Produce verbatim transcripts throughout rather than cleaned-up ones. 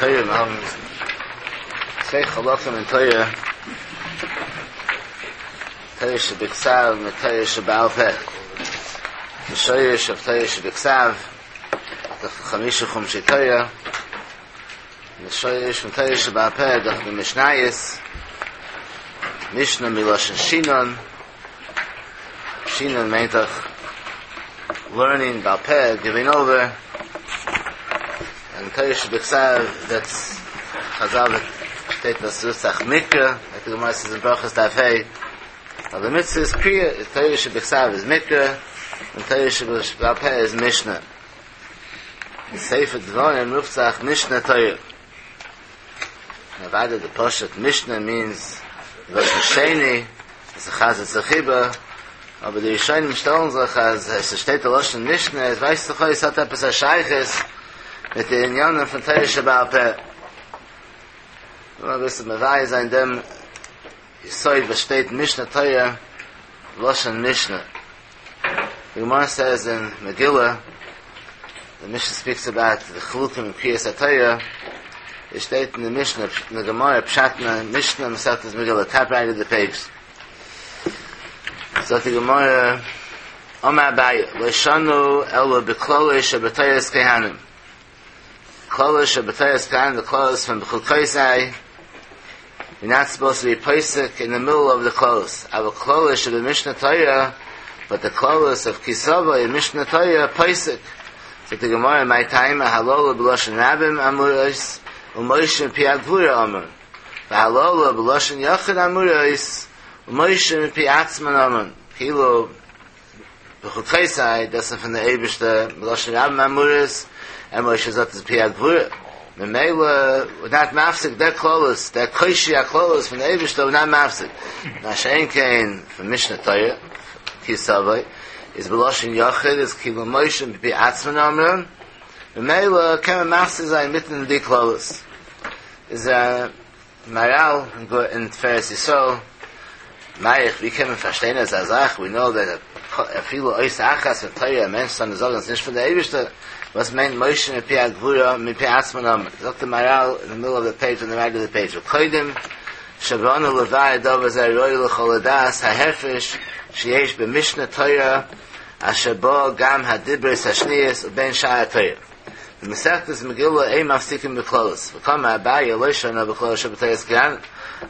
תורה, מיר האבן צוויי חלקים אין תורה, תורה שבכתב מיט תורה שבעל פה. די שורש אויף תורה שבכתב, דאך חמשה חומשי תורה, די שורש פון תורה שבעל פה, דאך די משניות, משנה מלשון שינון, שינון מיינט דאך learning בעל פה, giving over, און תורה שבכתב, that's חזל שטייט דאס רופט זיך מקרא, like the Gemara says in ברכות דף ה', אבל די מצוה איז קריאה, תורה שבכתב איז מקרא, און תורה שבעל פה איז משנה. די ספר דברים רופט זיך משנה תורה. אוודאי די פשוט משנה means לשון שני, עס חזר'ט זיך איבער, אבער די ראשונים שטעלן זיך אז עס שטייט די לשון משנה, עס ווייזט זיך אויס האט עפעס א שייכות מיט די ענינים פון תורה שבעל פה. נאר אביסל מבאר זיין דעם יסוד וואס שטייט משנה תורה, לשון משנה. The Gemara says in Megillah, the Mishnah speaks about the חילוקים in קריאת התורה. It שטייט in the Mishnah, in the Gemara, פשט אין Mishnah, מסכת Megillah, top right of the page. So the Gemara, אמר אביי, לא שנו אלא בקללות שבתורת כהנים. קללות שבתורת כהנים, the קללות from בחוקותי. You're not supposed to be פוסק in the middle of the קללות. אבל קללות שבמשנה תורה, but the קללות of כי תבוא in משנה תורה פוסק. So the Gemara, מאי טעמא הללו בלשון רבים אמורות ומשה מפי הגבורה אמרן. והללו בלשון יחיד אמורות ומשה מפי עצמן אמרן. כאילו בחוקותי, דאס איז פון דער אייבערשטער בלשון רבים אמורות און משה זאגט עס מפי הגבורה. ממילא, we're not מפסיק דער קללות, דער קושי הקללות פון דער אייבערשטער, we're not מפסיק. מה שאין כן פון משנה תורה, כי תבוא, איז בלשון יחיד, איז כאילו משה מפי עצמן אמרן, ממילא קען מען מפסיק זיין מיטן די קללות. איז א מהר"ל אין תפארת ישראל, מאריך, ווי קען מען פארשטיין אזא זאך, we know that אפילו אות אחת פון תורה, א מענטש זאל זאגן, ס'איז נישט פון דער אייבערשטער, וואס מיינט משה מפי הגבורה, מפי עצמן אמרן. זאגט דער מהר"ל in the middle of the page, on the right of the page, וקודם שבאנו לבאר דבר זה ראוי לכל לדעת ההפרש שיש במשנה תורה אשר בו גם הדיברות השניות ובין שאר התורה. במסכת מגילה אין מפסיקים בקללות. וקאמר אביי לא שנו בקללות שבתורת כהנים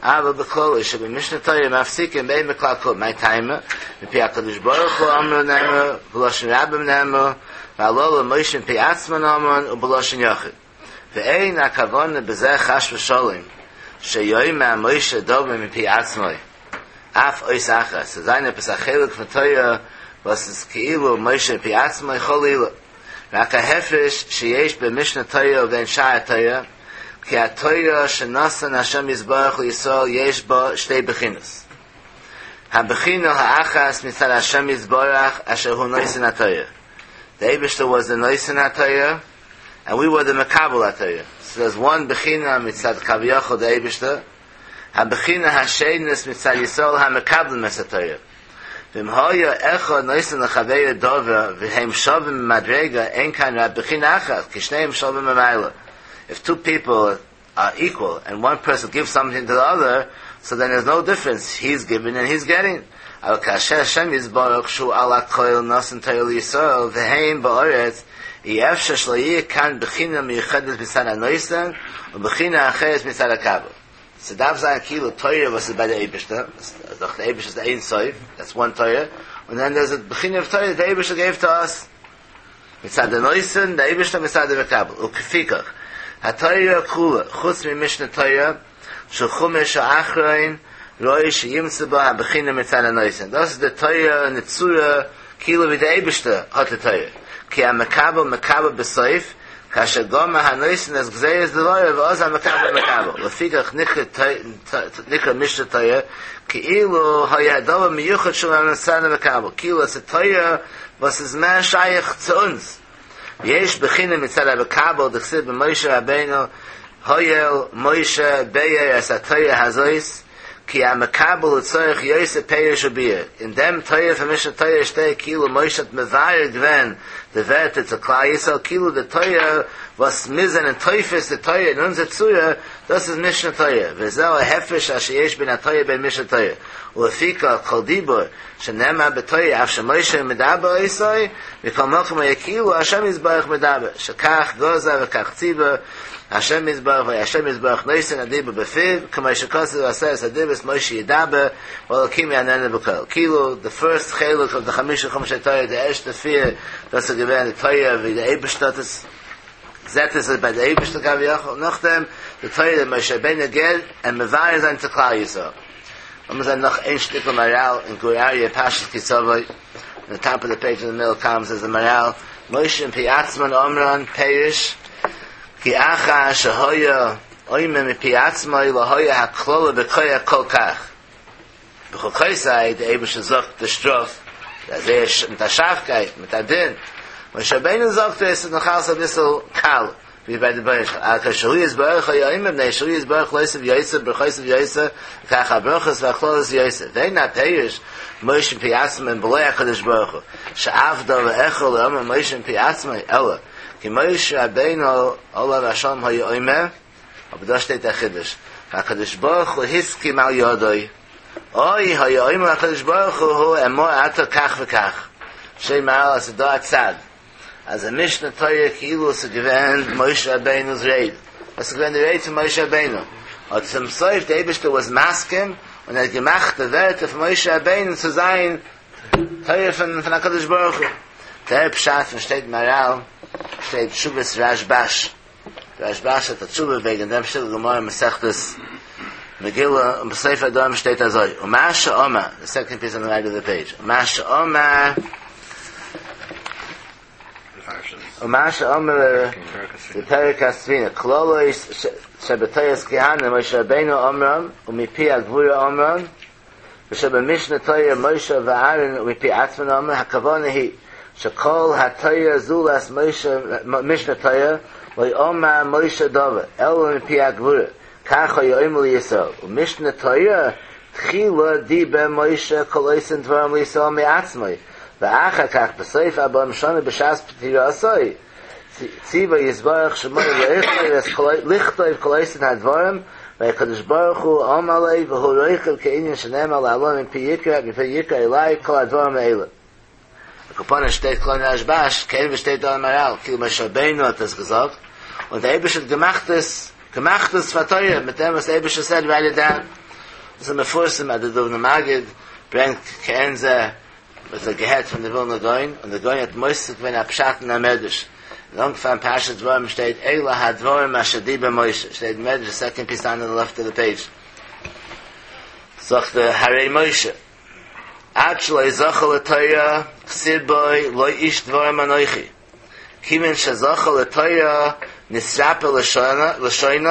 אבל בקללות שבמשנה תורה מפסיקים באין בכלל כלום. מאי טעמא? מפי הקדוש ברוך הוא אמרו נאמר בלשון רבים נאמר והללו משה מפי עצמן אמרן ובלשון יחיד. ואין הכוונה בזה חס ושלום שיאמר משה דבר מפי עצמו אף אות אחת. ס'זאל זיין עפעס א חלק פון תורה וואס איז כאילו משה מפי עצמו חלילה. רק ההפרש שיש במשנה תורה ובין שאר התורה, כי התורה שנתן השם יתברך לישראל יש בה שתי בחינות. הבחינה האחת מצד השם יתברך אשר הוא נותן התורה. The אייבערשטער was the נותן התורה, and we were the מקבל התורה. So there's one בחינה מצד כביכול the אייבערשטער, הבחינה השנית מצד ישראל המקבלים את התורה. ואם היה אחד נותן לחברו דבר והם שווים במדרגה אין כאן רק בחינה אחת כי שניהם שווים במעלה. If two people are equal and one person gives something to the other, so then there's no difference. He's giving and he's getting. אבל כאשר השם יתברך שהוא על הכל נתן תורה לישראל והם בארץ אי אפשר שלא יהיה כאן בחינה מיוחדת מצד הנותן ובחינה אחרת מצד המקבל. ס'דארף זיין כאילו תורה וואס איז ביי דער אייבערשטער, דאך דער אייבערשטער איז דער אין סוף, that's one תורה, and then there's a בחינה of תורה the אייבערשטער gave to us. מצד דער נותן, דער אייבערשטער מצד דער מקבל. ולפיכך, התורה כולה, חוץ ממשנה תורה, שהוא חומש האחרון, ראוי שימצא בה הבחינה מצד הנותן. דאס איז די תורה אין די צורה, כאילו ווי דער אייבערשטער האט די תורה. כי המקבל מקבל בסוף, כאשר גמר הנותן את גזירת דבריו, ואז המקבל מקבל. לפיכך נקרא נקרא משנה תורה, כאילו היה הדבר מיוחד של מצד המקבל. כאילו עס איז תורה, וואס איז מער שייך צו אונז. יש בחינה מצד המקבל, דכתיב במשה רבינו, הואיל משה באר את התורה הזאת, כי המקבל הוא צריך יותר פירוש וביאור. אין דעם תורה פון משנה תורה שטייט כאילו משה האט מבאר געווען די ווערטער צו כלל ישראל כאילו די תורה וואס מיר זענען תופס די תורה אין אונזער צורה דאס איז משנה תורה וזהו ההפרש אשר יש בין התורה ובין משנה תורה ולפיכך כל דיבור שנאמר בתורה אף שמשה מדבר אותו מכל מקום היה כאילו השם יתברך מדבר שכך גזר וכך ציווה השם יתברך והשם יתברך נותן הדיבור בפיו כמו שכתוב בעשרת הדיברות משה ידבר והאלקים יעננו בקול כאילו the first חלק of the חמישה חומשי תורה די ערשטע פיר דאס איז געווען די תורה ווי די אייבערשטער האט עס זעט עס ביי די אייבערשטער כביכול נאכדעם די תורה משה רבינו גייט און מבאר זיין צו כלל ישראל לאמיר זען נאך איין שטיקל מהר"ל אין גור אריה פרשת כי תבוא on the top of the page in the middle column says the מהר"ל משה מפי עצמן אמרן פירוש כי אחר שהיה אומר מפי עצמו לא היה הקללה בכוח כל כך בחוקותי דער אייבערשטער זאגט די שטראף אז ער מיט א שארפקייט מיט א דין משה רבינו זאגט עס איז נאך אלס א ביסל קל ווי ביי די ברך אבל כשהוא יתברך היה אומר מפני שהוא יתברך להוסיף יותר ברכותיו יותר כך הברכות והקללות יותר ואין הפירוש משה מפי עצמו בלא הקדוש ברוך הוא שעבדה לאכול לא אמר משה מפי עצמו אלא כי משה רבינו עליו השלום היה אומר אבער דא שטייט דער חידוש והקדוש ברוך הוא הסכים על ידו או היה אומר הקדוש ברוך הוא אמור אתה כך וכך שטייט מהר"ל אז דא א צד אז א משנה תורה כאילו עס איז געווען משה רבינו'ס רייד עס איז געווען די רייד פון משה רבינו האט צום סוף דער אייבערשטער was מסכים און ער האט געמאכט די ווערטער פון משה רבינו צו זיין תורה פון פון הקדוש ברוך הוא דער פשט פון שטייט מהר"ל שטייט תשובת רשב"ש רשב"ש האט א תשובה וועגן דעם שטיקל גמרא מסכת מגילה און בסוף הדברים שטייט אזוי ומה שאמר the second piece on the right of the page ומה שאמר ומה שאמר בפרק הספינה קללות שבתורת כהנים משה רבינו אמרם ומפי הגבורה אמרם ושבמשנה תורה משה ואהרן ומפי עצמן אמר הכוונה היא שכל התורה זולת משה משנה תורה לא אמר משה דבר אלא מפי הגבורה כך היה אומר לישראל ומשנה תורה תחילה דיבר משה כל אותן דברים לישראל מעצמו ואחר כך בסוף ארבעים שנה בשעת פטירתו ציווה יתברך שמו לכתוב כל אותן הדברים והקדוש ברוך הוא אמר לו והוא רוכב כעניין שנאמר להלן מפי יקרא מפי יקרא אלי כל הדברים האלה. על כל פנים שטייט קלאר אין רשב"ש, כן ווי שטייט דא אין מהר"ל, כאילו משה רבינו האט עס געזאגט, און דער אייבערשטער האט געמאכט עס, געמאכט עס פאר תורה, מיט דעם וואס דער אייבערשטער said write it down. דאס איז מפורסם אז דער דובנער מגיד ברענגט כעין זה, וואס ער געהערט פון די ווילנער גאון, און דער גאון האט מוסיף געווען א פשט אין א מדרש. אין אנפאנג פרשת דברים שטייט אלה הדברים אשר דיבר משה, שטייט אין מדרש, the second piece down on the left of the page. זאגט דער הרי משה, עד שלא זכה לתורה, כתיב בו לא איש דברים אנוכי. כיוון שזכה לתורה, נתרפא לשונו,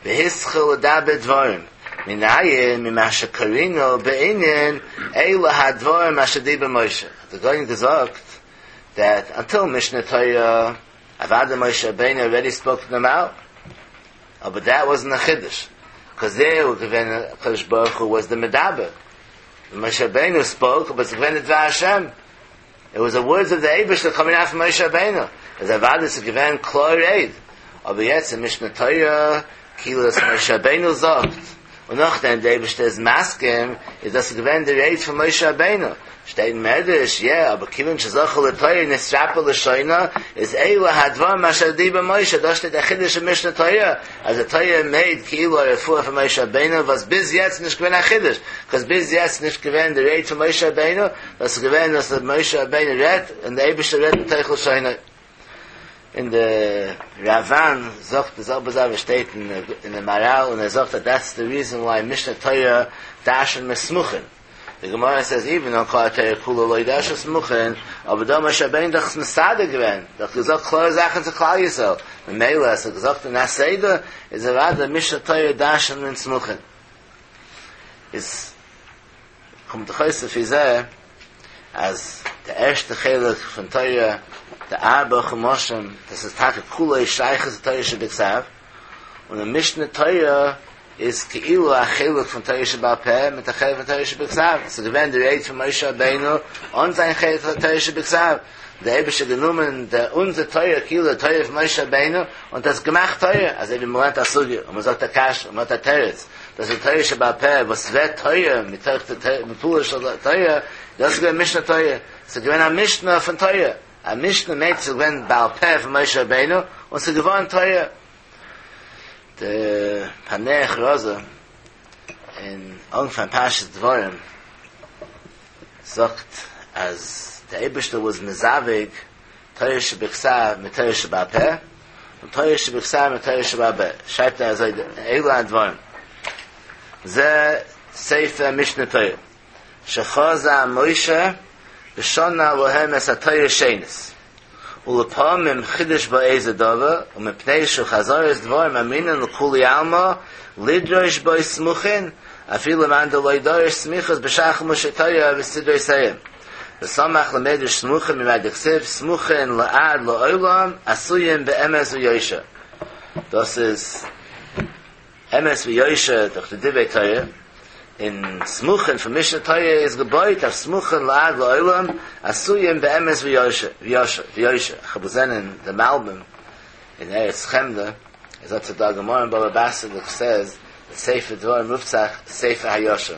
והתחיל לדבר דברים. מנין ממה שקרינו בענין אלה הדברים אשר דיבר משה. דער גאון געזאגט that until Mishnah Torah, אוודאי Moshe Rabbeinu already spoke to them out. Oh, but that wasn't a chiddush. Because there, קדוש ברוך הוא was the מדבר. Moshe Rabbeinu spoke, but it's געווען דבר השם. It was the words of the אייבערשטער coming out from Moshe Rabbeinu. אז אוודאי ס'איז געווען קלאר רייד. אבער יעצט אין Mishnah Torah, כאילו דאס Moshe Rabbeinu זאגט. און נאכדעם דער אייבערשטער איז מסכים, איז דאס געווען די רייד פון Moshe Rabbeinu. שטייט אין מדרש, yeah, אבער כיוון שזכה לתורה נתרפא לשונו, איז אלה הדברים אשר דיבר משה, דא שטייט דער חידוש אין משנה תורה, אז די תורה made כאילו א רפואה פון משה רבינו, וואס ביז יעצט נישט געווען א חידוש, because ביז יעצט נישט געווען די רייד פון משה רבינו, דאס איז געווען אז משה רבינו רעדט, און דער אייבערשטער רעדט מתוך לשונו. אין די ראב"ן זאגט די זעלבע זאך וואס שטייט אין אין די מהר"ל און ער זאגט that that's the reason why משנה תורה דרש'נט מען סמוכין. The Gemara says even on כל התורה כולה לא דרש'נט סמוכין, אבער דא משה רבינו דאך מסדר געווען, דאך געזאגט קלארע זאכן צו כלל ישראל. ממילא אז ער געזאגט אין א סדר איז אוודאי משנה תורה דרש'נט מען סמוכין. איז קומט דאך אויס לפי זה אז דער ערשטע חלק פון תורה, די ארבע חומשים, דאס איז טאקע כולו שייך צו תורה שבכתב, און אין משנה תורה איז כאילו א חלק פון תורה שבעל פה מיט א חלק פון תורה שבכתב. ס'איז געווען די רייד פון משה רבינו אן זיין חלק פון תורה שבכתב. דער אייבערשטער האט גענומען די אונזער תורה כאילו די תורה פון משה רבינו און דאס געמאכט תורה, אזוי ווי מ'לערנט א סוגיא און מ'זאגט א קשיא און מ'האט א תירוץ, דאס איז תורה שבעל פה וואס ווערט תורה מתוך די פעולה של תורה, דאס איז געווען משנה תורה, ס'איז געווען א משנה פון תורה, א משנה מיינט ס'איז געווען בעל פה פון משה רבינו און ס'איז געווארן תורה. די פענח רזא אין אנפאנג פרשת דברים זאגט אז דער אייבערשטער וואס מזווג תורה שבכתב מיט תורה שבעל פה און תורה שבכתב מיט תורה שבעל פה שרייבט ער אזוי אלו הדברים זה ספר משנה תורה שחזה משה ושנה להם את התורה שנית ולפעמים חידש בה איזה דבר ומפני שהוא חזרת דברים אמרינן לכולי עלמא לדרוש בו סמוכין אפילו למאן דלא דריש סמיכות בשאר חומשי תורה וסדרותיהם וסמך למדרש סמוכין ממאי דכתיב סמוכין לעד לעולם עשויים באמת ויושר דאס איז אמת ויושר דורך די דברי תורה, און סמוכין פון משנה תורה איז געבויט אויף סמוכין לעד לעולם עשויים באמת ויושר, ויושר, ויושר, איך האב געזען אין די מלבים אין ארץ חמדה, איז דארט דא א גמרא אין בבא בתרא וואס סעז די ספר דברים רופט זיך ספר הישר,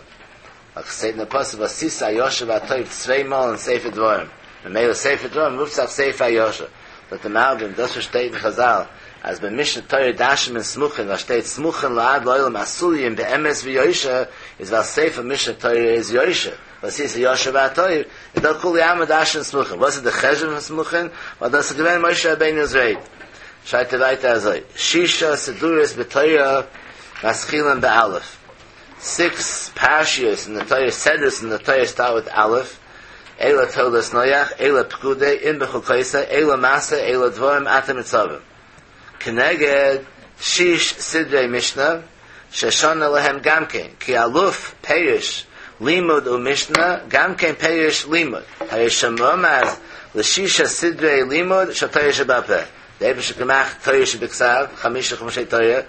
ווייל ס'שטייט אין די פסוק ועשית הישר והטוב צוויי מאל אין ספר דברים, ממילא ספר דברים רופט זיך ספר הישר, זאגט די מלבים דאס וואס שטייט אין חזל אז ביי משנה תורה דרש'נט מען סמוכין ווייל שטייט סמוכין לעד לעולם עשויים באמת ויושר איז ווייל ספר משנה תורה איז יושר ועשית הישר והטוב איז דא כולי עלמא דרש'נט סמוכין וואס איז די חשבון פון סמוכין ווייל דאס איז געווען משה רבינו'ס רייד שרייבט ער ווייטער אזוי שישה סדרות בתורה מתחילים באלף סיקס פרשיות אין די תורה סדרות אין די תורה סטארט וויט אלף אלה תולדות נח, אלה פקודי, אם בחוקותי, אלה מסעי, אלה דברים, אתם נצבים. כנגד שיש סדרי משנה, ששנה להם גם כן, כי אלוף פירוש לימוד ומשנה, גם כן פירוש לימוד. הרי שמרמז לשישה סדרי לימוד של תורה שבעל פה. דער אייבערשטער האט געמאכט תורה שבכתב, חמשה חומשי תורה,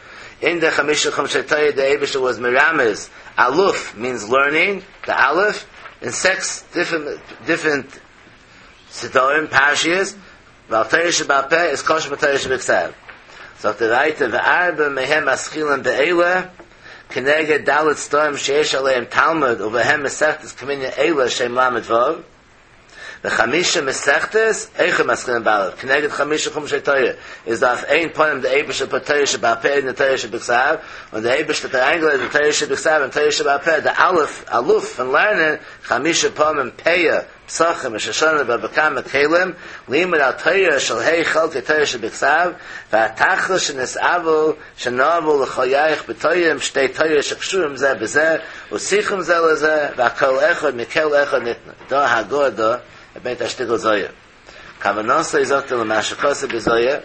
אין די חמשה חומשי תורה דער אייבערשטער וואס מרמז, אלוף מיינס לערנינג, די אלף, אין סעקס דיפרענט סדרים, פרשיות, ווייל תורה שבעל פה איז קשור מיט תורה שבכתב. זאגט ער ווייטער וארבעה מהם מתחילים באלה, כנגד ד' סדרים שיש עליהם תלמוד ובהם מסכת כמנין אלה שהם ל"ו, וחמשה מסכתות, אויך מתחילים באלף, כנגד חמשה חומשי תורה, איז דא אויף איין פנים די אייבערשטער פוט תורה שבעל פה אין די תורה שבכתב, און די אייבערשטער האט אריינגעלייגט די תורה שבכתב אין תורה שבעל פה, די אלף, אלוף פון לערנען, חמשה פעמים פאה, פסחים, ראש השנה, בבא קמא, כלים, לימוד על תורה של ה' חלקי תורה שבכתב, והתכלית שנתאוו שנאוו לחייך בתוים שתי תורה שקשורים זה בזה, וצריכים זה לזה, והכל אחד מכל אחד ניתנה. דא הגהה דא, ער ברענגט א שטיקל זוהר. כוונתו זאגט ער למה שכתוב בזוהר,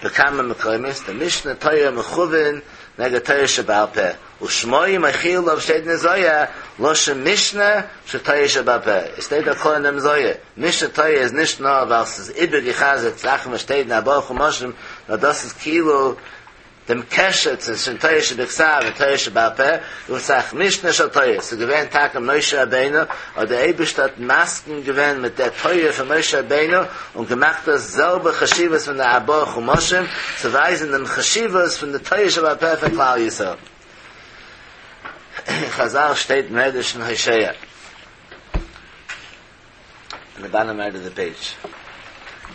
בכמה מקומות, די משנה תורה מכוון נגד תורה שבעל פה, ושמו מחיל עליו שטייט אין זוהר, לשון משנה של תורה שבעל פה. עס שטייט דא קלאר אין דעם זוהר, משנה תורה איז נישט נאר ווייל ס'איז איבערגעחזרט זאכן וואס שטייט אין ארבעה חומשים, נאר דאס איז כאילו דעם קשר צווישן תורה שבכתב און תורה שבעל פה, רופט זיך משנה של תורה, ס'איז געווען טאקע משה רבינו, אבער דער אייבערשטער האט מסכים געווען מיט דער תורה פון משה רבינו און געמאכט דאס זעלבע חשיבות פון די ארבעה חומשים, צו ווייזן דעם חשיבות פון די תורה שבעל פה פון כלל ישראל. אין חזל שטייט מדרש אין הושע. אין די באטאם רייט אוו די פעידזש.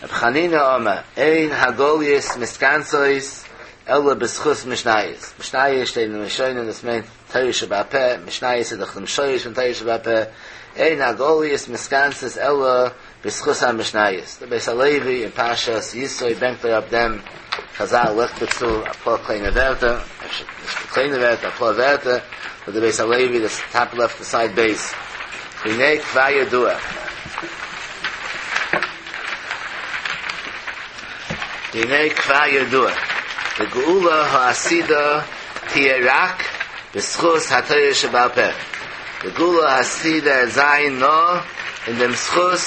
רבי חנינא אמר, אין הגליות מתכנסות אלא בזכות משניות. משניות שטייט אין ראשונים דאס מיינט תורה שבעל פה, משניות איז דאך דעם שורש פון תורה שבעל פה, אין הגליות מתכנסות אלא בזכות המשניות. דער בית הלוי אין פרשת יתרו ברענגט אראפ דעם חזל לייגט דערצו אפאר קליינע ווערטער, אפשר נישט קליינע ווערטער, אפאר ווערטער, פון די בית הלוי דאס טאפ לעפט סייד בית והנה כבר ידוע והנה כבר ידוע דגאולה העתידה תהיה רק בזכות התורה שבעל פה די גאולה העתידה זיין נאר אין דעם זכות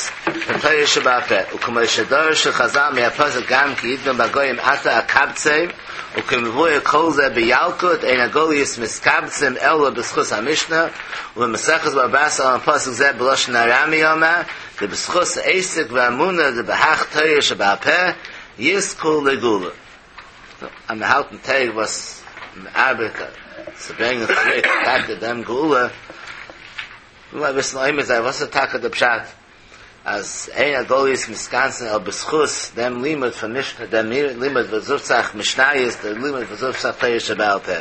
פון תורה שבעל פה, וכמו שדרשו חזל מהפסוק גם כי ידגם בגוים עתה אקבצם, וכמבואר כל זה בילקוט אין הגליות מתקבצים אלא בזכות המשנה, ובמסכת בבא בתרא על פסוק זה בלשון ארמי אמר, דבזכות עסק ואמונה דבהך תורה שבעל פה יזכו לגאולה. אז מיר האלטן טעג וואס מ'ארבעט צו ברענגען צוריק טאקע דעם גאולה, וויל אביסל עומד זיין וואס איז טאקע די פשט אז אין הגליות מתכנסין אלא בזכות דעם לימוד פון משנה, דעם לימוד וואס רופט זיך משניות, דער לימוד וואס רופט זיך תורה שבעל פה.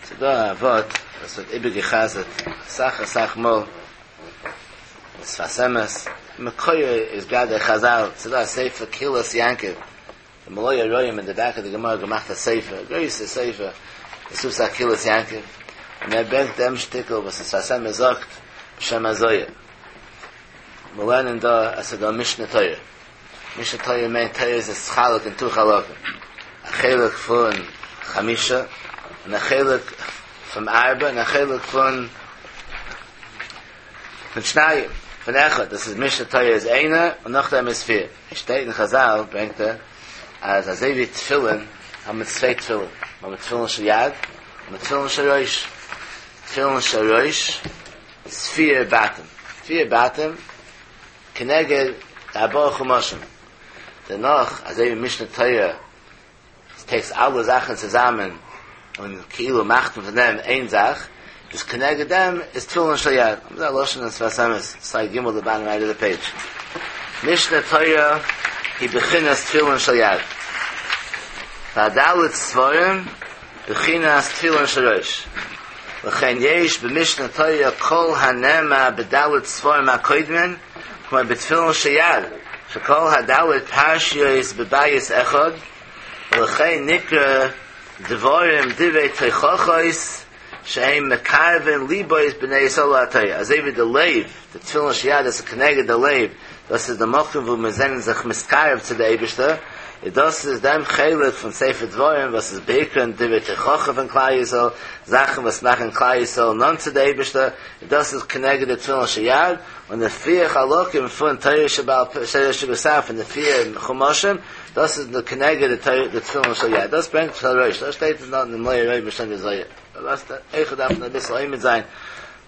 ס'איז דא א ווארט וואס ווערט איבערגע'חזר'ט אסאך אסאך מאל, שפת אמת, מקורו איז גראדע חזל, ס'איז דא א ספר קהילת יעקב, די מלא הרועים אין די בעק אוו די גמרא געמאכט א ספר, א גרויסע ספר, עס רופט זיך קהילת יעקב, און ער ברענגט דעם שטיקל וואס די שפת אמת זאגט בשם הזוהר. מיר לערנען דא אז ס'איז דא משנה תורה. משנה תורה מיינט תורה איז נתחלק אין טו חלקים, א חלק פון חמישה און א חלק פון ארבע און א חלק פון פון שניים, פון אחד, דאס איז משנה תורה איז איינער און נאכדעם איז פיר. עס שטייט אין חזל ברענגט ער אז אזוי ווי תפילין האבן מיר צוויי תפילין, מיר האבן תפילין של יד און תפילין של ראש, תפילין של ראש איז פיר בתים, פיר בתים כנגד די ארבעה חומשים, דערנאך אזוי ווי משנה תורה טעיקס אלע זאכן צוזאמען און כאילו מאכט מען פון דעם איין זאך, איז כנגד דעם איז תפילין של יד, אזא לשון אין שפת אמת, סייד ג' די באטאם רייט אוו די פעידזש, משנה תורה היא בחינת תפילין של יד, והד' ספרים בחינת תפילין של ראש, לכן יש במשנה תורה כל הנאמר בד' ספרים הקודמין, כמו בתפילין של יד, שכל הד' פרשיות בבית אחד, ולכן נקרא דברים דברי תוכחות שהם מקרבין ליבות בני ישראל לתורה, אזוי ווי די לב, די תפילין של יד איז כנגד די לב, דאס איז די מקום וואו מיר זענען זיך מתקרב צו די אייבערשטער, און דאס איז דעם חלק פון ספר דברים וואס איז בעיקר דברי תוכחה פון כלל ישראל, זאכן וואס מאכן כלל ישראל נאנט צו די אייבערשטער, און דאס איז כנגד די תפילין של יד, און די פיר חלקים פון תורה שבעל פה, תורה שבכתב פון די פיר חומשים, דאס איז כנגד די תפילין של יד, דאס ברענגט של ראש, דאס שטייט אין די מלא הרועים בשם די זוהר. וואס אויך דארף מען אביסל עומד זיין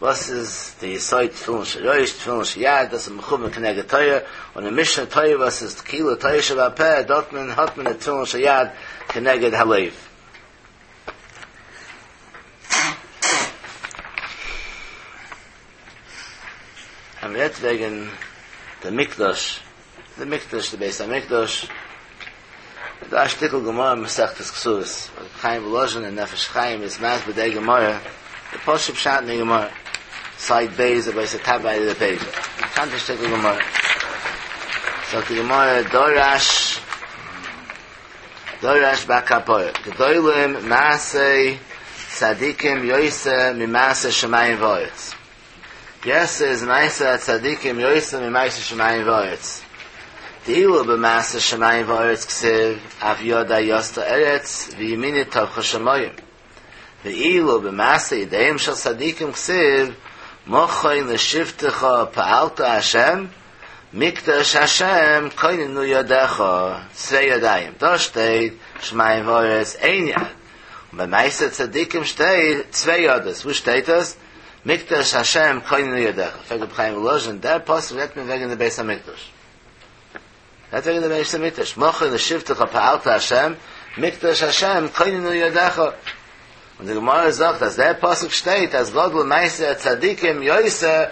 וואס איז די יסוד תפילין של ראש, תפילין של יד, דאס איז מכוון כנגד תורה, און אין משנה תורה וואס איז כאילו תורה שבעל פה, דארט מען האט מען די תפילין של יד כנגד הלב. אז מען רעדט וועגן די מקדש, די מקדש, די בית המקדש, איז דא א שטיקל גמרא אין מסכת כתובות, רבי חיים וואלאזשין אין נפש חיים איז מסביר די גמרא, די פשוט פשט אין די גמרא, סייד ב' אבער ס'איז טאפ רייט אוו די פעידזש, באקאנטע שטיקל גמרא. זאגט די גמרא דרש דרש בר קפרא, גדולים מעשי צדיקים יותר ממעשה שמים וארץ. גרעסער איז מעשה הצדיקים יותר ממעשה שמים וארץ. דאילו במעשה שמים וארץ כתיב אף ידי יסדה ארץ וימיני טפחה שמים. ואילו במעשה ידיהם של צדיקים כתיב מכון לשבתך פעלת השם מקדש השם כוננו ידיך, צוויי ידיים, דא שטייט שמים וארץ איין יד, און ביי מעשה צדיקים שטייט צוויי ידות, וואו שטייט עס? מקדש השם כוננו ידיך, פרעגט רבי חיים וואלאזשין, דער פסוק רעדט מען וועגן די בית המקדש, רעדט וועגן די בית המקדש, מכון לשבתך פעלת השם, מקדש השם כוננו ידיך, און די גמרא זאגט אז דער פסוק שטייט אז גדול מעשה הצדיקים יותר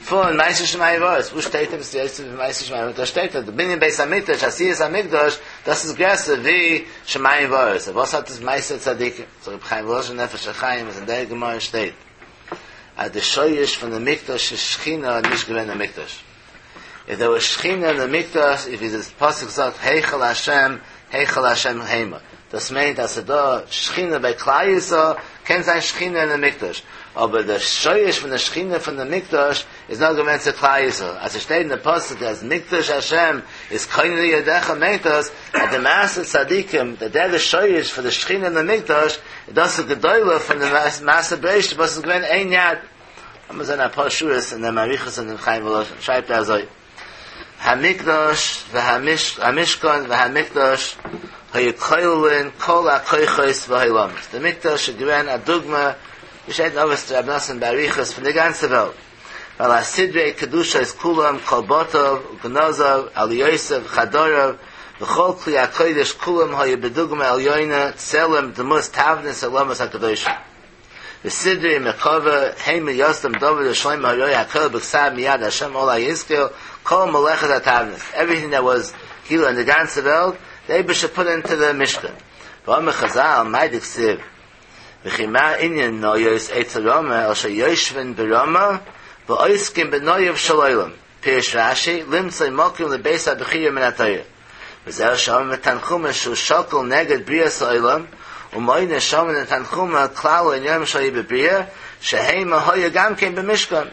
פון מעשה שמים וארץ, וואו שטייט עפעס יותר פון מעשה שמים וארץ? דא שטייט אז די בנין בית המקדש, עשיית המקדש, דאס איז גרעסער ווי שמים וארץ, וואס האט עס מעשה צדיקים? זאגט רבי חיים וואלאזשין נפש החיים אז אין דער גמרא שטייט אז די שורש פון די מקדש איז שכינה נישט געווען אין מקדש. איף דער וואס שכינה אין די מקדש איז ווי די פסוק זאגט היכל השם היכל השם המה דאס מיינט אז ס'דא שכינה ביי כלל ישראל קען זיין שכינה אין די מקדש אבער דער שורש פון דער שכינה פון דער מקדש איז נאר געווען צו כלל ישראל. אז עס שטייט אין דער פסוק אז מקדש השם איז כוננו ידיך מיינט דאס אז די מעשה צדיקים, דער דער שורש פון דער שכינה אין דער מקדש, דאס איז גדולה פון דער מעשה בראשית וואס איז געווען איין יד. לאמיר זען א פאר שורות אין דעם אריכות אין דעם חיים וואלאזשין שרייבט ער אזוי המקדש והמשכן והמקדש היו כוללין כל הכוחות והעולמות דער מקדש איז געווען א דוגמא ווי שטייט אין אבות דרבי נתן באריכות פון די גאנצע וועלט ועל הסדרי קדושות כולם כל בתיו וגנזיו עליותיו חדריו וכל כלי הקודש כולם היו בדוגמא עליונה צלם דמות תבנית עולמות הקדושים וסדרי מרכבה הם מיוסדם דוד ושלמה הרואה הכל בכתב מיד השם עלי השכיל כל מלאכת התבנית everything that was כאילו אין די גאנצע וועלט די אייבערשטער put into the משכן ואמר חז"ל מאי דכתיב וכי מה ענין ניות אצל רמה אלא שיושבין ברמה ועוסקים בנויו של עולם פירש רש"י למצוא מקום לבית הבחירה מן התורה וזהו שאמר בתנחומא שהוא שקול נגד בריאת העולם ומונה שם אין תנחומא כלל העניינים שהיו בבריאה שהמה היו גם כן במשכן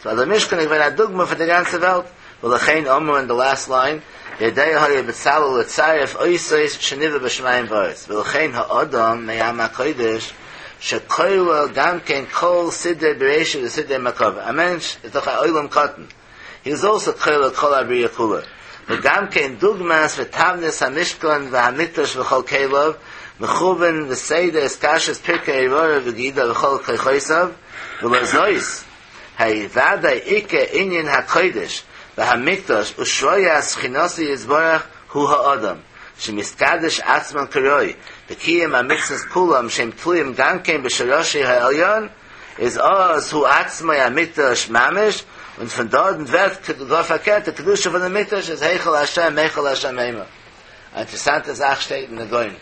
So the משכן איז געווען א דוגמא פאר די גאנצע וועלט ולכן אמרו in the last line יודע היה בצלאל לצרף אותות שנברא בשמים וארץ ולכן האדם מעם הקודש שכולל גם כן כל סדרי בראשית וסדרי מרכבה א מענטש איז דאך א עולם קטן he is also כולל כל הבריאה כולה וגם כן דוגמת ותבנית המשכן והמקדש וכל כליו מכוון וסדר התקשרות פרקי איבריו וגידיו וכל כוחותיו ולזאת ודאי עיקר ענין הקודש והמקדש ושרויית שכינתו יתברך הוא האדם שמתקדש עצמו כראוי בקיום המצוות כולם שהם תלויים גם כן בשורשי העליון איז אז הוא עצמו המקדש ממש און פון דארט ווערט גאר פארקערט די קדושה פון דעם מקדש איז היכל השם היכל השם המה א אינטערעסאנטע זאך שטייט אין די גאון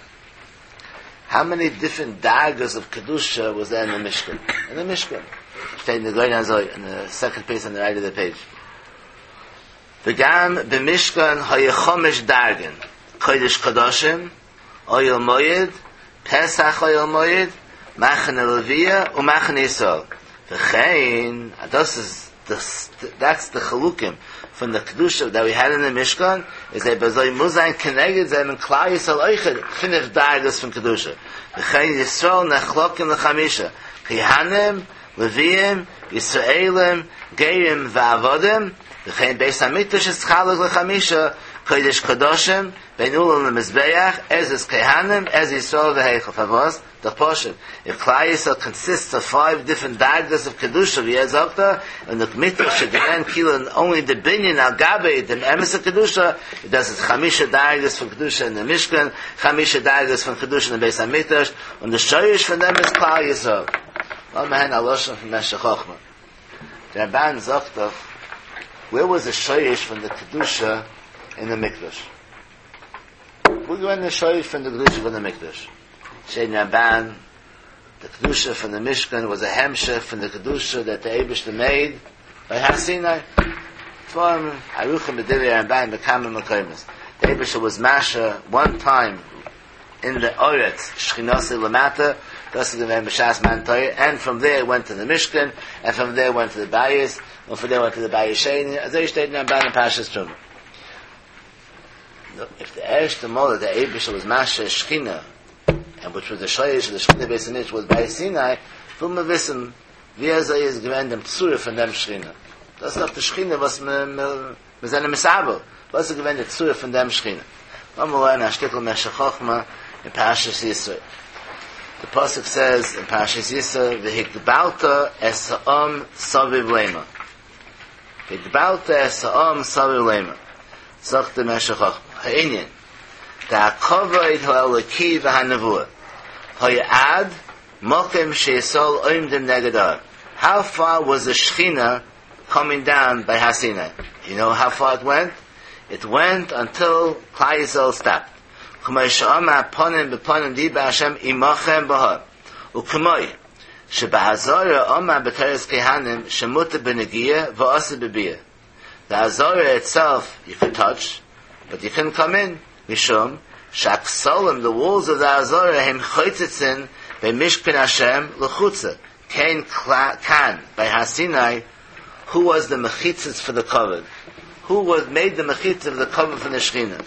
How many different דרגות of קדושה was there in the משכן? In the משכן. שטייט אין די גאון אזוי, in the second page on the right of the page. וגם במשכן היה חמש דרגין. קודש קדשים, אוהל מועד, פתח אוהל מועד, מחנה לוויה ומחנה ישראל. וכן, דאס איז the, that's the חילוקים פון the קדושה that we had in the משכן, איז אזוי מוז זיין כנגד זיי אין כלל ישראל אויך פינף דרגות פון קדושה. וכן ישראל נחלקים לחמישה. כהנים, לוויים, ישראלים, גרים ועבדים, וכן בית המקדש נתחלק לחמישה, קודש קדשים, בין אולם למזבח, עזרת כהנים, עזרת ישראל והיכל. פארוואס? דאך פשוט. If כלל ישראל consists of five different דרגות of קדושה, ווי ער זאגט דא, and the מקדש should demand כאילו only the בנין על גבי דעם אמת'ע קדושה, דאס איז חמישה דרגות פון קדושה אין דער משכן, חמישה דרגות פון קדושה אין בית המקדש, און דער שורש פון דעם איז כלל ישראל. לאמיר הערן א לשון פון משך חכמה. דער רמב"ן זאגט דאך, where was the שורש פון the קדושה in the מקדש? וואו געווען דער שורש פון די קדושה פון דער מקדש? שטייט אין רמב"ן, the קדושה פון the משכן was a המשך פון the קדושה that the אייבערשטער made by הר סיני. ספרים ערוכים בדברי רמב"ן בכמה מקומות. The אייבערשטער was משרה one time in the ארץ שכינתו למטה. דאס איז געווען בשעת מתן תורה, and from there went to the משכן, and from there went to the בית, and from there went to the בית שני. אזוי שטייט אין רמב"ן אין פרשת תרומה. If the ערשטע מאל that the אייבערשטער was משרה שכינה, and which was the שורש of the שכינה בית המקדש was by Sinai, וויל מען וויסן, ווי אזוי איז געווען דעם צורה פון דעם שכינה. דאס איז דאך די שכינה, וואס מיר, מיר, מיר זענען מתאבל. וואס איז געווען די צורה פון דעם שכינה? לאמיר לערנען א שטיקל משך חכמה אין פרשת יתרו. The פסוק says in פרשת יתרו, והגבלת את העם סביב לאמר. והגבלת את העם סביב לאמר. זאגט דער משך חכמה. העניין, דהכבוד האלוקי והנבואה. היה עד מקום שישראל עומדים נגד ההר. How far was the Shechina coming down by Har Sinai? You know how far it went? It went until כלל ישראל stopped. כמו שאמר פנים בפנים דיבר השם עמכם בהר. וכמו שבעזרה אמר בתורת כהנים שמותר בנגיעה ואסור בביאה. The עזרה itself you could touch, but you couldn't come in. משום שהכתלים, the walls of the עזרה הם חוצצין בין משכן השם לחוצה. Kein Kan by Har Sinai, who was the mechitzas for the kavod? Who was made the mechitza of the kavod from the Shechina?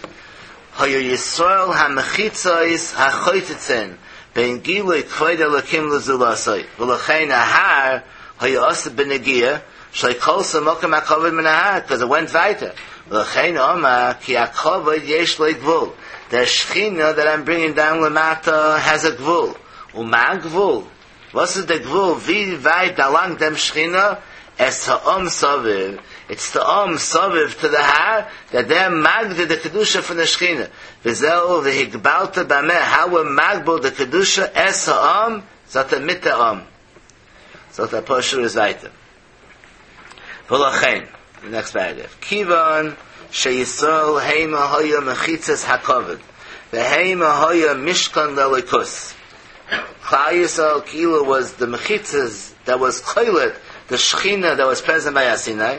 Hayu Yisrael ha-mechitzais ha-choytitzen ben gilui kvoid elokim l'zulasai v'lechein ahar hayu asa b'negia shlei kol samokim ha-kavod min ahar, because it went weiter. V'lechein omar ki ha-kavod yesh le gvul. The Shechina that I'm bringing down lamata has a gvul. Uma gvul. What's the gvul? Vi vayt dalang dem Shechina es ha'om saviv. It's the om saviv to the har that they're magda the kedusha from the Shechina. V'zeu v'higbalta b'ameh. How we're magbal the kedusha es ha'om zata mita om. Zata posher is weiter. V'lachein. The next paragraph. Kivan sheyisrael heima hoya mechitzas hakoved. V'heima hoya mishkan lelikus. Klal Yisrael Kila was the mechitzas that was koilet, the Shechina that was present by Har Sinai,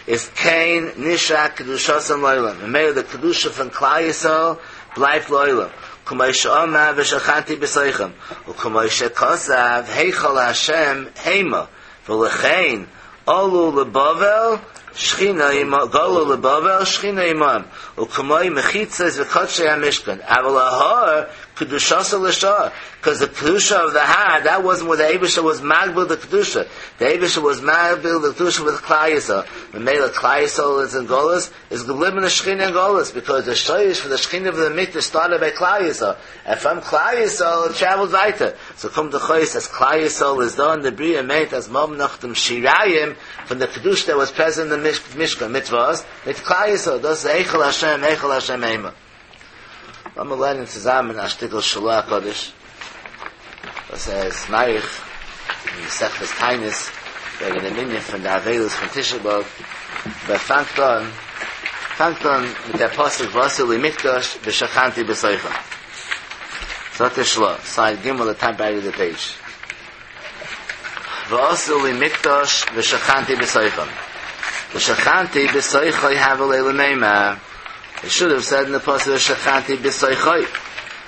is Kain Nisha Kedushasam Loilam. And may the Kedusha from Klal Yisrael bleibt Loilam. Kumay she'omar v'shachanti b'soichem. U'kumay she'kosav heichal Hashem heima. V'lechein olu leBavel Shechina imam, golu leBavel Shechina imam. U'kumay mechitzas v'kodshei HaMishkan. Aval ahar kedushasa l'shah. Because the kedusha of the har, that wasn't where the Eibusha was magbil the kedusha. The Eibusha was magbil the kedusha with Klal Yisrael. The male Klal Yisrael is in Golas is geblieben the Shechina in Golas, because the shoyish for the Shechina of the Mikdash started by Klal Yisrael, and from Klal Yisrael it traveled weiter. So come the choyis as Klal Yisrael is done the bria made as mom nachdem shirayim from the kedusha that was present in the Mishkan mitzvahs with Klal Yisrael. Thus Eichel Hashem, Eichel Hashem Eima. I'm learning zusammen a shtickle Shulah Kodesh. Das says Marich in Sechtes Tainis wegen dem Minyan von der Avelus von Tisha B'Av. But fangt an, fangt an mit der Pasuk Vasu li Mikdash v'shachanti b'soicha. Zot der Shlo, side Gimel, the top right of the page. Vasu li Mikdash v'shachanti b'soicha. V'shachanti b'soicha havel lemeima. It should have said in the pasuk v'shachanti b'soicha.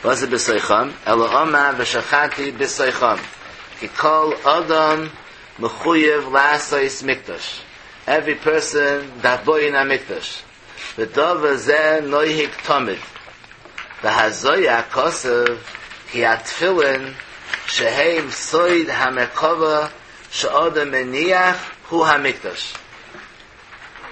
What's it b'soicham? Elo omar v'shachanti b'soicham. Ki kol adam mechuyev la'asais mikdash. Every person that boy in a mikdash. V'dova zeh noihik tomid. V'hazoya kosev ki atfilin sheheim soid hamerkova she'odam meniach hu hamikdash.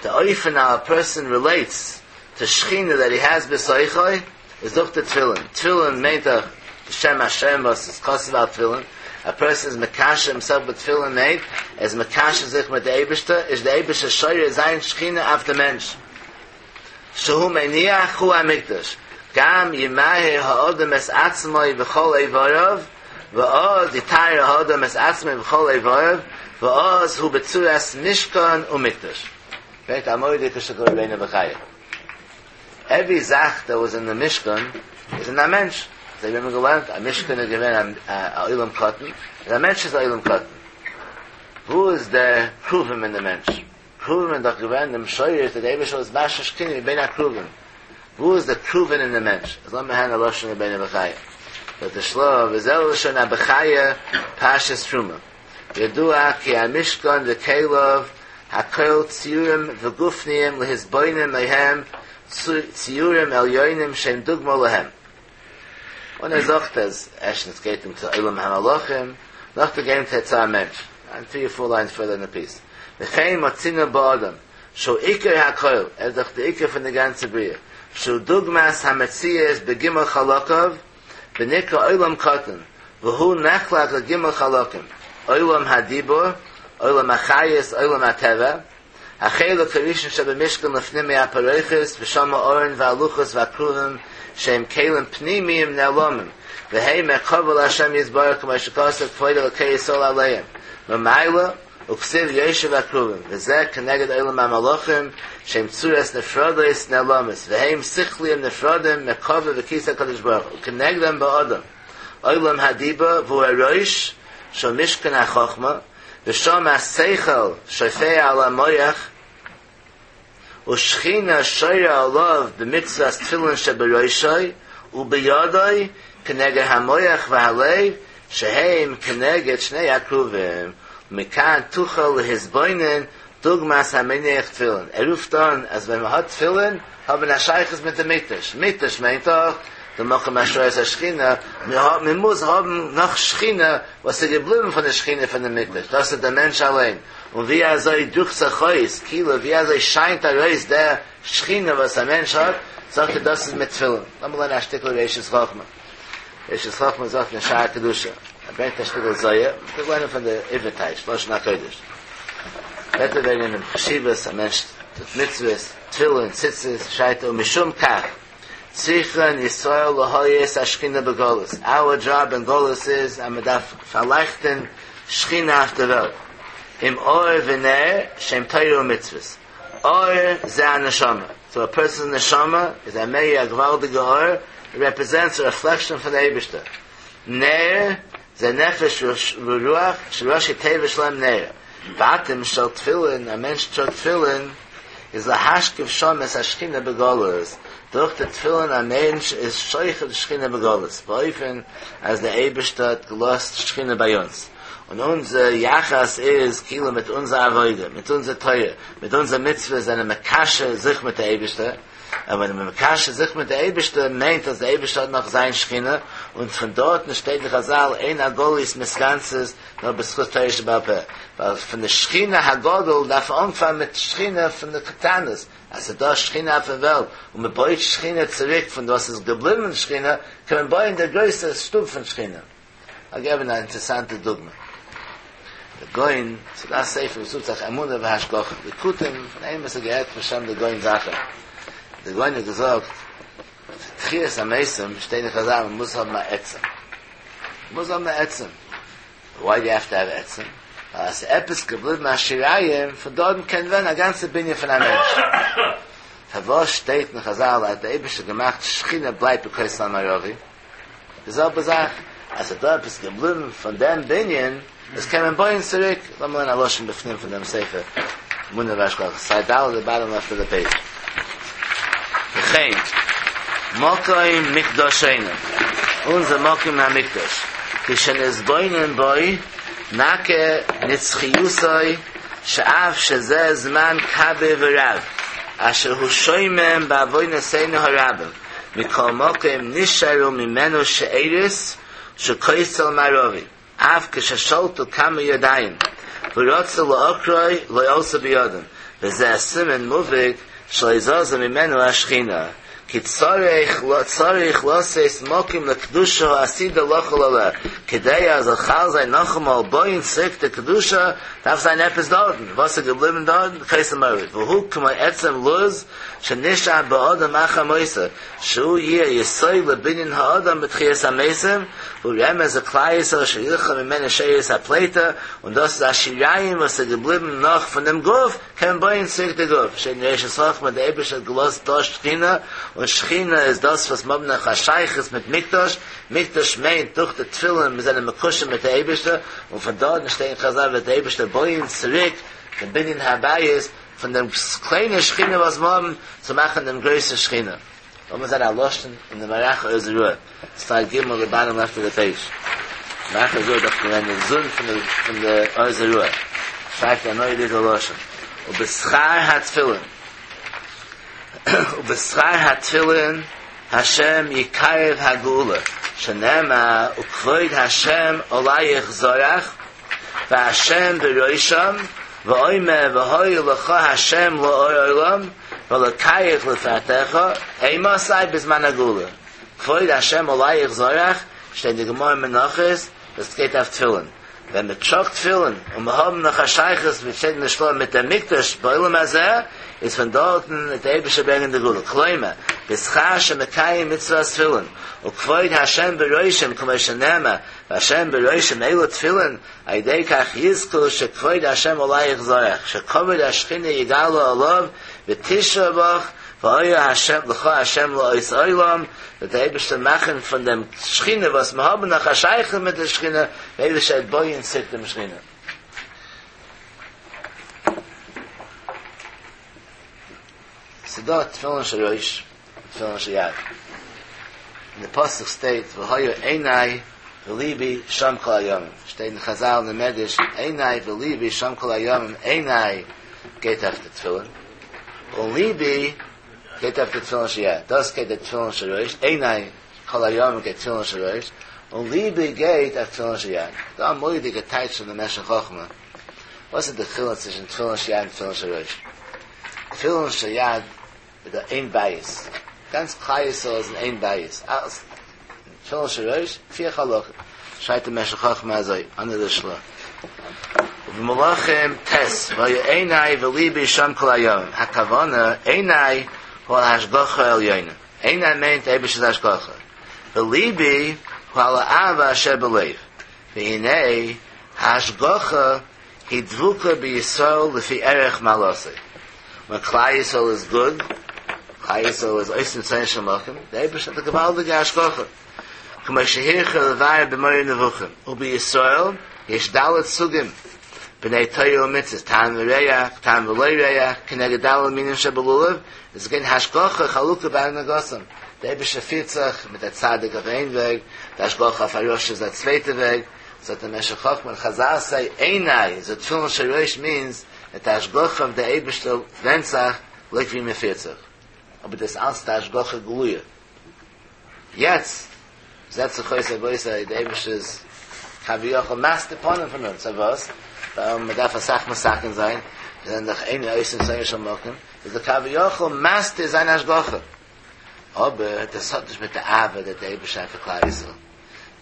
The oifen how a person relates to Shechina that he has b'soichoi is look to tefillin. Tefillin made the Shem Hashem was is kosev al tefillin. A person is mekasha himself with tefillin made as mekasha sich mit der Eibishter is the Eibishter shoyre zayin Shechina af the mensch. Shehu meniach hu hamikdash. Gam yimahe ha'odem es atzmoi v'chol eivarov v'oz yitayre ha'odem es atzmoi v'chol eivarov v'oz hu betzuras mishkan u'mikdash. Right? Amoy dikashakor Rabbeinu Bechaya. Every zach that was in the Mishkan is in that mensch. They remember gelernt, a Mishkan is given a ilam katan, and a mensch is a ilam katan. Who is the kruvim in the mensch? Kruvim in the given the mshoyer that the Eibush was mashash kini ben kruvim. Who is the kruvim in the mensch? As long as a lashon Rabbeinu Bechaya. But the shlo v'zel lashon Bechaya pashas truma. Yedua ki a Mishkan v'kelov hakol tziurim v'gufniim lehizboinim mehem Tziurim elyoinim shem dugma lehem. When er sagt, as Eshnitz geht him to Olam HaMalachim, nach der game to Etzah Mensch. And three or four lines further in the piece. V'chein matzina ba'adam, sho ikar hakoil, er sagt der ikar von der ganze Bria, sho dugmas hametzias begimel chalakav, v'nikra Olam katan, v'hu nechlak legimel chalakim, Olam hadibur, Olam hachayis, Olam hateva, Hacheluk harishon shebemishkan lefnim me'apareiches, v'shama oren v'aluchos v'akruvim, shem kelim pnimiyim ne'alomim, v'hei me'kovel Hashem yizbarach k'mashikosav k'void elokei yisrael aleim. V'mayla, uksiv yoshev akruvim, v'zeh keneged olam ha'malochim, shem tzuras nefrodes ne'alomis, v'heim sichliyim nefrodim me'kovel v'kisa kadosh baruch hu, u'kenegdem ba'odam. Olam hadiba v'hu haroish, shel mishkan ha'chochma, v'shom ha'seichel shofei al ha'moyach, u'shchina shoyra alav b'mitzvas tefillin sheberoishoi, u'beyadoi, keneged ha'moyach v'halev, שהם כנגד שני הכרובים, ומכאן תוכל להתבונן דוגמת המניח תפילין. ער רופט אן אז ווען מען האט תפילין האט מען א שייכות מיט די מקדש, מקדש מיינט דאך די מקום השראת השכינה, מען מוז האבן נאך שכינה וואס איז געבליבן פון די שכינה פון די מקדש, דאס איז דער מענטש אליין, און ווי אזוי דרוקט זיך אויס, כאילו ווי אזוי שיינט ארויס דער שכינה וואס א מענטש האט, זאגט ער דאס איז מיט תפילין. לאמיר לערנען א שטיקל ראשית חכמה. ראשית חכמה זאגט אין שער הקדושה, ער ברענגט א שטיקל זוהר, מ'קען לערנען פון די עברי טייטש, לשון הקודש. רעדט ער וועגן דעם חשיבות, א מענטש טוט מצוות, תפילין, ציצית, שרייבט ער ומשום כך צריכין ישראל להאיר את השכינה בגלות, our job אין גלות איז אז מען דארף פארלייכטען שכינה אויף די וועלט, עם אור ונר שהם תורה ומצוות, אור זה הנשמה, סאו א פערסאנס נשמה איז א מאיר א געוואלדיגע אור, איט רעפרעזענטס א רעפלעקשאן פון די אייבערשטער, נר זה נפש ורוח שראשי תיבות שלהם נר, בתים של תפילין, א מענטש טראגט תפילין איז להשקיף שם את השכינה בגלות, דורך די תפילין א מענטש איז שוכן שכינה בגלות, באופן אז דער אייבערשטער האט געלאזט שכינה ביי אונז, און אונזער יחס איז כאילו מיט אונזער עבודה, מיט אונזער תורה, מיט אונזער מצוות זענען מקשר זיך מיט דער אייבערשטער, און ווען מען מקשר זיך מיט דער אייבערשטער מיינט אז דער אייבערשטער האט נאך זיין שכינה, און פון דארטן שטייט אין חזל אין הגליות מתכנסות נאר בזכות תורה שבעל פה, ווייל פון די שכינה הגדול דארף מען אנפאנגען מיט שכינה פון די קטנות, אז ס'איז דא שכינה אויפן וועלט און מען בויט שכינה צוריק פון וואס איז געבליבן שכינה, קען מען בויען די גרויסע שטוב פון שכינה. כ'וועל געבן א אינטערעסאנטע דוגמא. דער גאון, ס'איז דא א ספר וואס רופט זיך אמונה והשגחה, ליקוטים פון איינעם וואס האט געהערט בשם דער גאון זאכן. דער גאון האט געזאגט, תחיית המתים שטייט אין חזל מען מוז האבן א עצם. מען מוז האבן א עצם. וויי דו יו העוו טו העוו עצם? ווייל אז ס'איז עפעס געבליבן א שיריים, פון דארטן קען ווערן א גאנצע בנין פון א מענטש. פארוואס שטייט אין חזל אז דער אייבערשטער האט געמאכט שכינה בלייבט בכותל המערבי? די זעלבע זאך, אז ס'איז דא עפעס געבליבן פון דעם בנין, דאס קען מען בויען צוריק. לאמיר לערנען א לשון בפנים פון דעם ספר אמונה והשגחה, סייד ד' די באטאם לעפט אוו די פעידזש. וכן, מקום מקדשינו, אונזער מקום המקדש, כשנתבונן בו, נכיר נצחיותו, שאף שזה זמן כביר ורב, אשר הוא שומם בעוונותינו הרבים, מכל מקום נשארו ממנו שארית של כותל מערבי, אף כששלטו כמה ידיים ורצו לעוקרו לא עלתה בידם, וזה סימן מובהק שלא זזה ממנו השכינה, כי צריך צריך לתת מקום לקדושה העתידה לחול עליה, כדי אז זאל חל זיין נאכאמאל בויען צוריק די קדושה, דארף זיין עפעס דארטן, וואס איז געבליבן דארטן? כותל מערבי, והוא כמו עצם לוז שנשאר באדם אחר מותו, שהוא יהיה יסוד לבנין האדם בתחיית המתים, והוא רמז לכלל ישראל שילכו ממנו שארית הפליטה, און דאס איז א שיריים וואס איז געבליבן נאך פון דעם גוף, קען מען בויען צוריק די גוף, שטייט אין ראשית חכמה דער אייבערשטער האט געלאזט דא שכינה, און שכינה איז דאס וואס מ'האבן נאך א שייכות מיט מקדש, מקדש מיינט דורך די תפילין מיר זענען מקושר מיט די אייבערשטער, און פון דארטן שטייט אין חזל וועט דער אייבערשטער בויען צוריק דעם בנין הבית, פון דעם קליינע שכינה וואס מיר האבן, צו מאכן דעם גרויסע שכינה. לאמיר זען א לשון אין די מהר"ח אור זרוע, סייד ג' די באטאם לעפט אוו די פעידזש. מהר"ח אור זרוע איז דאך געווען די זון פון די פון די אור זרוע. שרייבט א מורא'דיגע לשון. ובשכר התפילין ובשכר התפילין השם יקרב הגאולה, שנאמר וכבוד השם עליך זרח והשם בראשם ואומר והיה לך השם לאור עולם ואלקיך לפארתך אימתי בזמן הגאולה כבוד השם עליך זרח שטייט אין די גמרא מנחות דאס גייט אויף תפילין ווען מען טראגט תפילין און מיר האבן נאך א שייכות ווי שטייט אין די של"ה מיט דעם מקדש בעולם הזה איז פון דארטן וועט דער אייבערשטער ברענגען די גאולה כלומר בשכר שמקיים מצוות תפילין וכבוד השם בראשם כמו שנאמר והשם בראשם אלו תפילין, על ידי כך יזכו שכבוד השם עליך זרח, שכבוד השכינה יגלה עליו ותשרה בך, והיה השם לך השם לאות עולם, וועט דער אייבערשטער מאכן פון דעם שכינה וואס מיר האבן נאך א שייכות מיט די שכינה, דער אייבערשטער וועט בויען צוריק דעם שכינה. ס'דא תפילין של ראש און תפילין של יד. אין די פסוק שטייט והיה עיני וליבי שם כל הימים. שטייט אין חזל אין מדרש, עיני וליבי שם כל הימים, עיני גייט אויף די תפילין, און ליבי גייט אויף די תפילין של יד. דאס גייט די תפילין של ראש, עיני כל הימים גייט תפילין של ראש, און ליבי גייט אויף תפילין של יד. דא א מורא'דיגע טייטש פון די משך חכמה. וואס איז די חילוק צווישן תפילין של יד און תפילין של ראש? תפילין של יד איז דא איין בית, גאנץ כלל ישראל איז אין איין בית, אלס תפילין של ראש, פיר חלקים, שרייבט די משך חכמה אזוי, אנדער די של"ה. ובמלכים ט', והיו עיני וליבי שם כל הימים, הכוונה עיני הוא על השגחה העליונה, עיני מיינט אייבערשטער'ס השגחה, וליבי הוא על האהבה אשר בלב, והנה ההשגחה היא דבוקה בישראל לפי ערך מעלתו. When כלל ישראל is good, כלל ישראל איז עושים רצונו של מקום, דער אייבערשטער האט א געוואלדיגע השגחה. כמו שהרחיב לבאר במורה נבוכים, ובישראל יש ד' סוגים, בני תורה ומצוות, טעם וריח, טעם ולא ריח, כנגד ד' מינים שבלולב, איז געווען השגחה חלוקה בהנהגתם. דער אייבערשטער פירט זיך מיט א צדיק אויף איין וועג, די השגחה אויף א רשע איז א צווייטע וועג, זאגט דער משך חכמה און חזל say עיני, so תפילין של ראש means that די השגחה אויף דער אייבערשטער ווענדט זיך לויט ווי מען פירט זיך. אבער דאס אלץ די השגחה גלויה. יעצט זעט זיך אויס רבותי דער אייבערשטער איז כביכול מסתיר פנים פון אונז, פארוואס? ווייל מען דארף אסאך מתקן זיין, מיר זענען דאך אינו עושים רצונו של מקום, איז דער כביכול מסתיר זיין השגחה. אבער דאס האט נישט מיט די אהבה that דער אייבערשטער האט פאר כלל ישראל.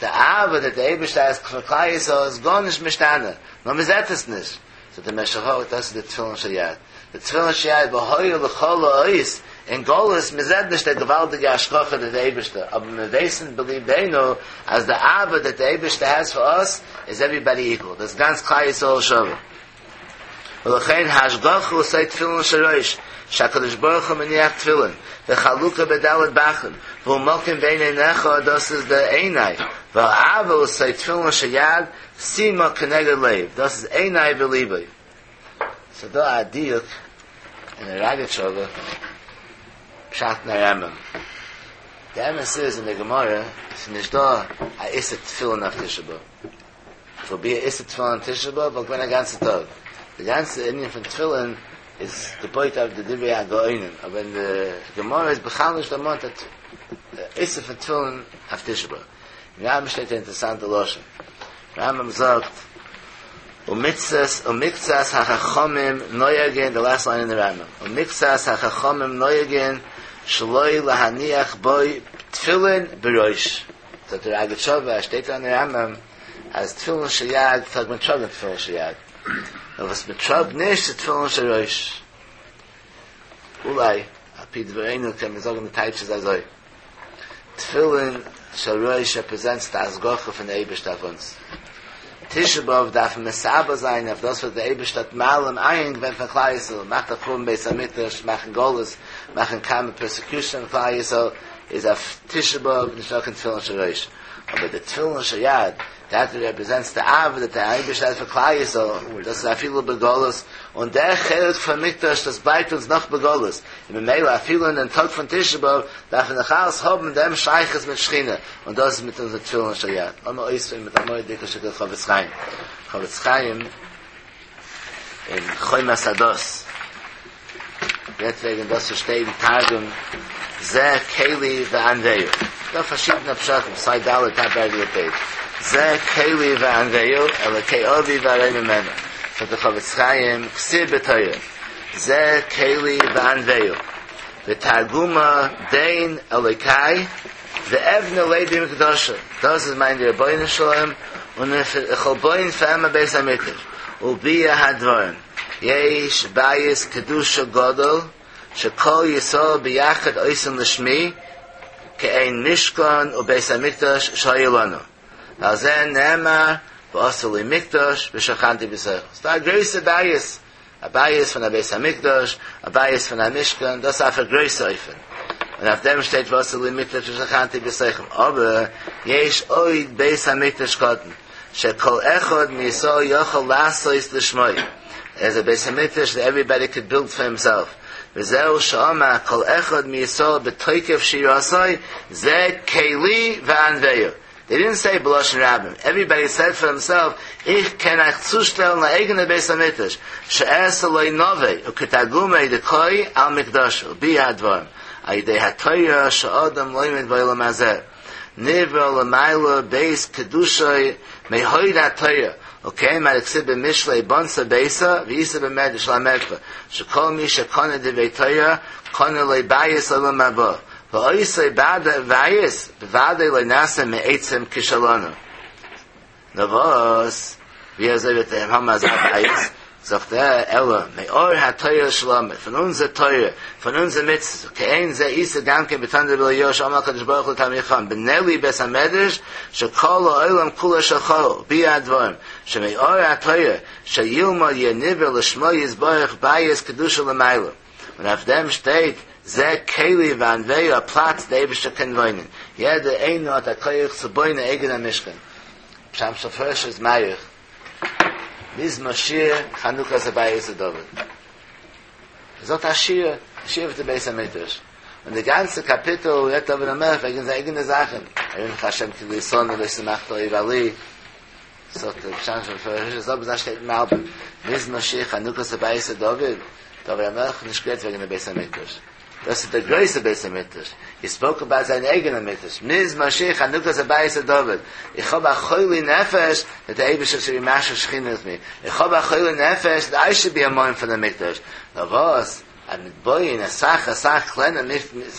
די אהבה that דער אייבערשטער האט פאר כלל ישראל איז גארנישט משתנה, נאר מען זעט עס נישט. זאגט דער משך חכמה, דאס איז די תפילין של יד. די תפילין של יד והיה לך לאות, אין גלות, מען זעט נישט די געוואלדיגע השגחה דער אייבערשטער, אבער מיר ווייסן בליבנו אז די אהבה that דער אייבערשטער has for us is everybody equal. דאס גאנץ כלל ישראל שווה. ולכן ההשגחה עושה תפילין של ראש, שהקדוש ברוך הוא מניח תפילין, וחלוקה בד' בחין, והוא מקום בין עיניך, דאס איז די עיני, והאהבה עושה תפילין של יד, שימה כנגד לב, דאס איז עיני וליבי. ס'איז דא א דיוק אין די ראגאטשאווער פשט אין רמב"ם. די אמת איז אין די גמרא איז נישט דא א איסור תפילין אויף תשעה באב. If be א איסור תפילין תשעה באב וואלט געווען א גאנצע טאג. די גאנצע ענין פון תפילין איז געבויט אויף די דברי הגאונים, אבער אין די גמרא איז בכלל נישט דערמאנט א איסור פון תפילין אויף תשעה באב. אין רמב"ם שטייט א אינטערעסאנטע לשון. רמב"ם זאגט ומקצת ומקצת החכמים נוהגין, the last line in the Rambam, ומקצת החכמים נוהגין שלא להניח בו תפילין בראש. זאגט דער ראגאטשאווער, שטייט אין רמב"ם אז תפילין של יד, זאגט מען טראגן תפילין של יד. נאר וואס מען טראגט נישט איז תפילין של ראש. אולי, על פי דברינו קען מען זאגן די טייטש איז אזוי. תפילין של ראש represents די השגחה פון דער אייבערשטער אויף אונז. תשעה באב דארף מען מתאבל זיין אויף דאס וואס דער אייבערשטער האט מעלים עין געווען פון כלל ישראל, מאכט א חורבן בית המקדש, מאכן גלות, מאכן כמה persecution פון כלל ישראל, איז אויף תשעה באב נישטא קיין תפילין של ראש. אבער די תפילין של יד, that represents the אהבה that דער אייבערשטער האט פאר כלל ישראל, דאס איז אפילו בגלות, און דער חלק פון מקדש דאס בלייבט אונז נאך בגלות, און ממילא אפילו אין דעם טאג פון תשעה באב דארף מען נאך אלץ האבן דעם שייכות מיט שכינה, און דאס איז מיט אונזער תפילין של יד. לאמיר אויספירן מיט א מורא'דיגע שטיקל חפץ חיים. חפץ חיים אין חומת הדת רעדט וועגן דאס וואס שטייט אין תרגום זה קלי ואנוהו. דא פארשידענע פשטים, סיי ד' top right of the page. זה קלי ואנוהו, אלוקי אבי וארוממנהו. זאגט דער חפץ חיים, כתיב בתורה, זה קלי ואנוהו. ותרגומא דין אלוקי ואבנה ליה במקדשא. דאס איז מיין רבונו של עולם און איך וועל בויען פאר אים א בית המקדש. וביאר הדברים. יש בית קדושה גדול שכל ישראל ביחד עושים לשמי כעין משכן ובית המקדש שהיה לנו. ועל זה נאמר ועשו לי מקדש ושכנתי בתוכם. ס'דא א גרויסע בית, א בית פון א בית המקדש, א בית פון א משכן, דאס אויף א גרויסע אופן. און אויף דעם שטייט ועשו לי מקדש ושכנתי בתוכם. אבער יש עוד בית המקדש קטן, שכל אחד מישראל יכול לעשות לשמו. There's a בית המקדש that everybody could build for himself. וזהו שאמר כל אחד מישראל בתוקף שירתו, זה קלי ואנוהו. They didn't say B'loshen Rabbim. Everybody said for himself, Ich kann euch zustellen eine eigene Beis HaMikdash. She'es loy nove, u'ketagumei dekoi al mikdash, u'bi ha'dvarim. Ayidei ha'toyra she'odam loymed b'olam hazeh. Nivra l'mayla beis kedushay mehoid ha'toyra. Okay, ma iksib b'mishlei bonsa beisa v'isa b'medrash lamedcha. Shekol mi shekone divei toyra, kone le'bayis olam haba. V'oisei bada vayis, b'vadei le'nasa me'etzem kishalonu. Navos, v'yazei v'tehem hamaz ha'bayis, sagt er, Ella, me'or ha'toyra shalom, von unser Teure, von unser Mitzvah, kein ze isa gamke betande b'le yosh, amal kadosh baruch hu tamicham, b'neli bes hamedrash, shekol ha'olam kula shachol, bi ha'dvarim, sheme'or ha'toyra, sheyilma yeniver l'shmo yizborach bayis kedusha l'mayla. Und auf dem steht, ze keli van vei a Platz, der Eibischter kann wohnen. Jeder einer hat a Koyach zu boine eigener Mishkan. Psham Shafresh ist Mayach. Miz Mashir Chanukah Zabayis David. Sagt Ashir, Ashir wird der Beis HaMikdash. Und der ganze Kapitel redet David HaMelech wegen seiner eigenen Sachen. Erin Hashem ki lison v'le simach lo ivali. Sagt der Psham Shafresh, so besonders steht im Album. Miz Mashir Chanukah Zabayis David. David HaMelech nicht geredet wegen der Beis HaMikdash. Das ist der größte Beis HaMikdash. He spoke about sein eigener Mikdash. Miz Mashiach Chanukah Zabayis David. Ich habe a choyle nefesh that the Eibush should be masher shchina with me. Ich habe a choyle nefesh that I should be a moin for the Mikdash. Now was, I'm mit boy in a sach, a sach kleiner,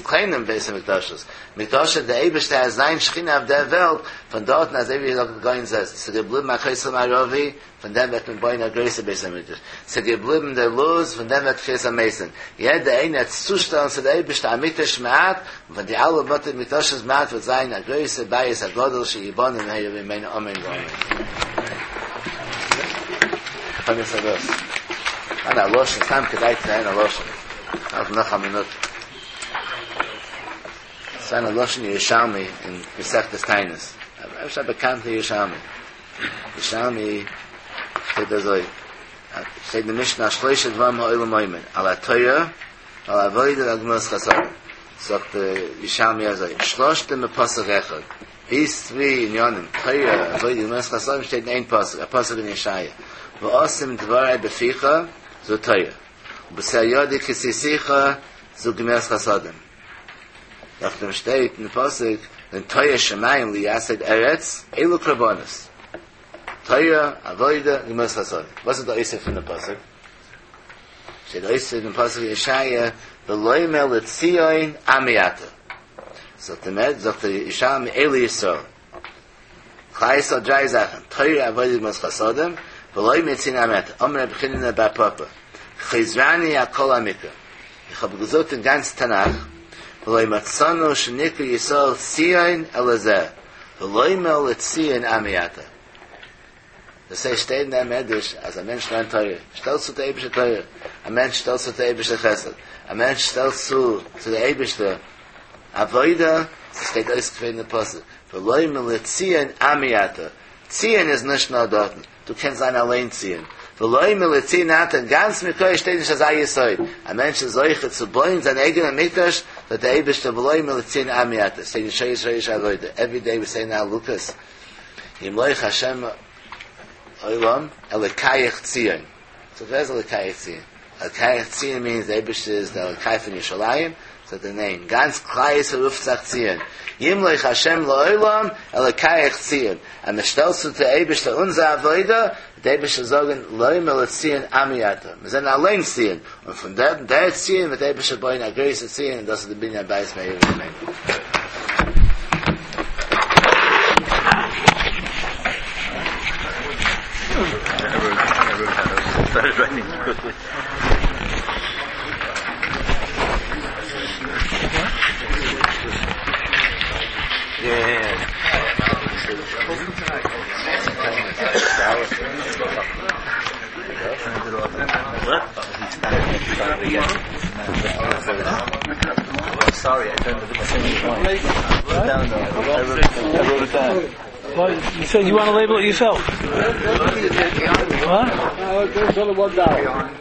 kleiner Beis HaMikdashos. Mikdash der Eibush der sein Shchina auf der Welt, von dort als ewig gesagt going says, se geblieben a choyle Marovi, von dem wird man boy in a größer Beis HaMikdash. Se geblieben der Luz, von dem wird Chias HaMeisen. Jeder eine hat zustellen zu der Eibush der Amikdash Ma'at, und von die alle Bote Mikdashos Ma'at wird sein a größer Beis HaGodel she'yibon in Heir Vimein Omen Gomen. Von ist das? An der Loschen, Sam kedai zu einer Loschen. Auf noch eine Minute. Es war eine Loschen Yerushalmi in Masechtas Tainis. Aber ich habe bekannt Yerushalmi. Yerushalmi steht da so. Steht in der Mishnah, Shloisha Dvam ha'olam oimen. Al ha'toya, al ha'avoida, al gmos chasam. Sagt der Yerushalmi also, Shloshte me pasuk echad. These three in Yonim, Toya, avoida, gmos chasam, steht in ein pasuk, a pasuk in Yeshaya. V'osim dvarai beficha, zo Toya. B'sei yodi kisisicha, zo gmos chasadim. Nach dem steht in der Pasuk, den Toya Shemayim li yased eretz, elu krabonus. Toya, avoida, gmos chasadim. Was ist der Oisef in der Pasuk? Steht Oisef in der Pasuk Yeshaya, v'loimel l'tzion amiyata. Sagt der Med, sagt der Yishalmi, elu Yisrael. Klai Yisrael drei Sachen. Toya, avoida, gmos chasadim, v'loimel l'tzion amiyata. Omer Rebbe bar Papa. Chizrani akol amikra. Ich habe gesucht in ganz Tanach, v'loi matzanu shenikra Yisrael tzion elazeh, v'loi mel l'tzion amiyata. Das heißt, steht in der Medrash, als ein Mensch lernt Torah, stellt zu der Eibische Torah, ein Mensch stellt zu der Eibische Chesed, ein Mensch stellt zu, zu der Eibische Avoida, es steht ausgeführt in der Pasuk, v'loi mel l'tzion amiyata. Zion ist nicht nur dort, du kannst sein allein ziehen. V'loi mel l'tzion ata, ganz mit Torah steht nicht als ein Yesoid. Ein Mensch ist solche zu bauen, sein eigener Mikdash, that der Eibische v'loi mel l'tzion amiyata. Steht in Shoyis Shoyis Avoida. Every day we say now Lucas, Yimloich Hashem Olam, Elikayach Tzion. So there's Elikayach Tzion. Elikayach Tzion means the Eibush is the Elikai from Yerushalayim, so the name. Ganz Klai Yisrael ruft sich Tzion. Yimloich Hashem la'olam, Elikayach Tzion. And the stellst du der Eibush der unser Avoida, der Eibush sagen, Loi mel Tzion amiyata. Wir sind allein Tzion. Und von der, der Tzion wird der Eibush bauen, a größere Tzion, und das ist der Binyan Bayis Meir Vimein. Started writing quickly. Yeah. Sorry, I turned to the same point. I wrote it down. I wrote it down. Well, you said you want to label it yourself. What? Uh, there's only one dollar.